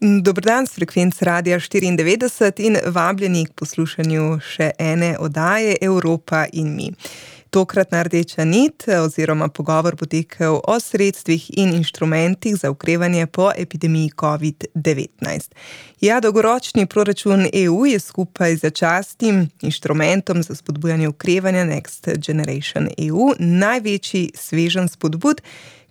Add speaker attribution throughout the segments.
Speaker 1: Dober dan s frekvenc Radia 94 in vabljeni k poslušanju še ene oddaje Evropa in mi. Tokratna rdeča nit oziroma pogovor bo tekel o sredstvih in inštrumentih za okrevanje po epidemiji COVID-19. Ja, dolgoročni proračun EU je skupaj z začasnim inštrumentom za spodbujanje okrevanja Next Generation EU največji sveženj spodbud,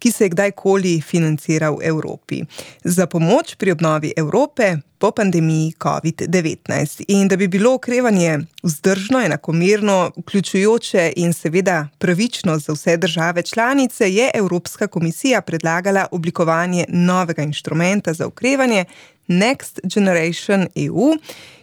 Speaker 1: ki se je kdajkoli financiral v Evropi. Za pomoč pri obnovi Evrope po pandemiji COVID-19. In da bi bilo okrevanje vzdržno, enakomerno, vključujoče in seveda pravično za vse države članice, je Evropska komisija predlagala oblikovanje novega inštrumenta za okrevanje Next Generation EU,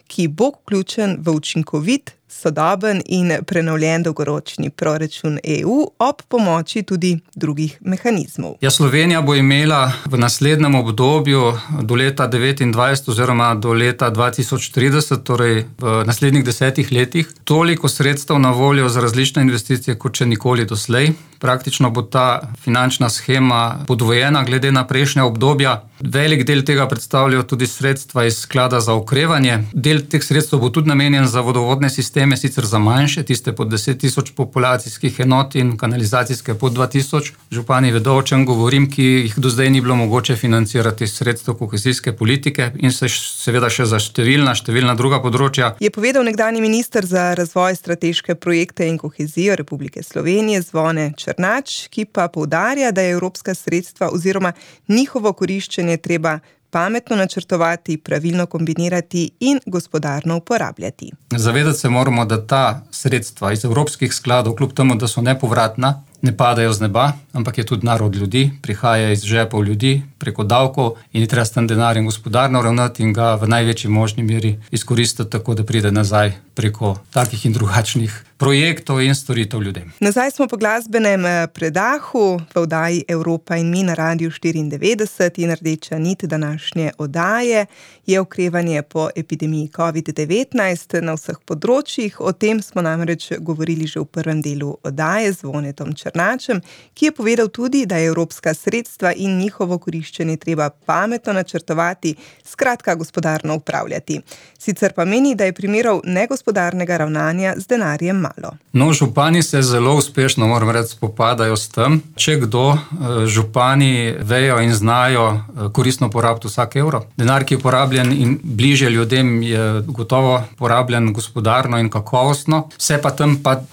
Speaker 1: ki bo vključen v učinkovit, sodoben in prenovljen dolgoročni proračun EU ob pomoči tudi drugih mehanizmov.
Speaker 2: Ja, Slovenija bo imela v naslednjem obdobju do leta 2029 oziroma do leta 2030, torej v naslednjih 10 letih, toliko sredstev na voljo za različne investicije, kot še nikoli doslej. Praktično bo ta finančna shema podvojena glede na prejšnja obdobja. Velik del tega predstavljajo tudi sredstva iz sklada za okrevanje. Del teh sredstev bo tudi namenjen za vodovodne sisteme, sicer za manjše, tiste pod 10.000 populacijskih enot in kanalizacijske pod 2.000. Župani vedo, o čem govorim, ki jih do zdaj ni bilo mogoče financirati sredstev kohezijske politike in se seveda še za številna druga področja.
Speaker 1: Je povedal nekdanji minister za razvoj strateške projekte in kohezijo Republike Slovenije Zvone Černač, ki pa poudarja, da je evropska sredstva oziroma njihovo koriščenje treba pametno načrtovati, pravilno kombinirati in gospodarno uporabljati.
Speaker 2: Zavedati se moramo, da ta sredstva iz evropskih skladov, kljub temu, da so nepovratna, ne padajo z neba, ampak je tudi narod ljudi, prihaja iz žepov ljudi preko davkov in je treba s tem denarjem gospodarno ravnati in ga v največji možni meri izkoristiti tako, da pride nazaj preko takih in drugačnih projektov in storitev ljudem.
Speaker 1: Nazaj smo po glasbenem predahu v oddaji Evropa in mi na Radiu 94 in rdeča nit današnje oddaje je okrevanje po epidemiji COVID-19 na vseh področjih. O tem smo namreč govorili že v prvem delu oddaje z Zvonetom Černačem, ki je povedal tudi, da je evropska sredstva in njihovo koriščenje treba pametno načrtovati, skratka gospodarno upravljati. Sicer pa meni, da je primerov negospodarnega ravnanja z denarjem malo.
Speaker 2: No, župani se zelo uspešno, moram reči, spopadajo s tem. Če kdo, župani vejo in znajo koristno porabiti vsak evro. Denar, ki je porabljen in bliže ljudem, je gotovo porabljen gospodarno in kakovostno. Se pa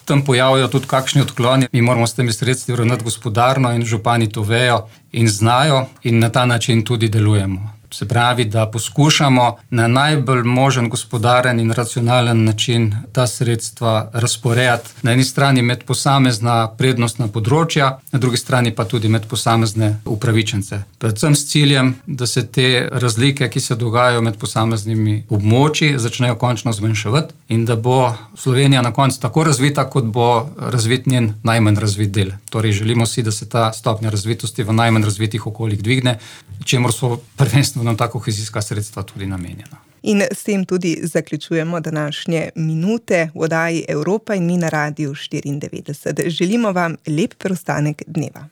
Speaker 2: tam pojavijo tudi kakšni odkloni. Mi moramo s temi sredstvi ravnati gospodarno in župani to vejo in znajo in na ta način tudi delujemo. Se pravi, da poskušamo na najbolj možen gospodaren in racionalen način ta sredstva razporejati na eni strani med posamezna prednostna področja, na drugi strani pa tudi med posamezne upravičence. Predvsem s ciljem, da se te razlike, ki se dogajajo med posameznimi območji, začnejo končno zmanjševati in da bo Slovenija na koncu tako razvita, kot bo razvit njen najmanj razvit del. Torej želimo si, da se ta stopnja razvitosti v najmanj razvitih okoljih dvigne, čemur so prvenstveno nam ta kohezijska sredstva tudi namenjena.
Speaker 1: In s tem tudi zaključujemo današnje minute v oddaji Evropa in mi na Radiu 94. Želimo vam lep preostanek dneva.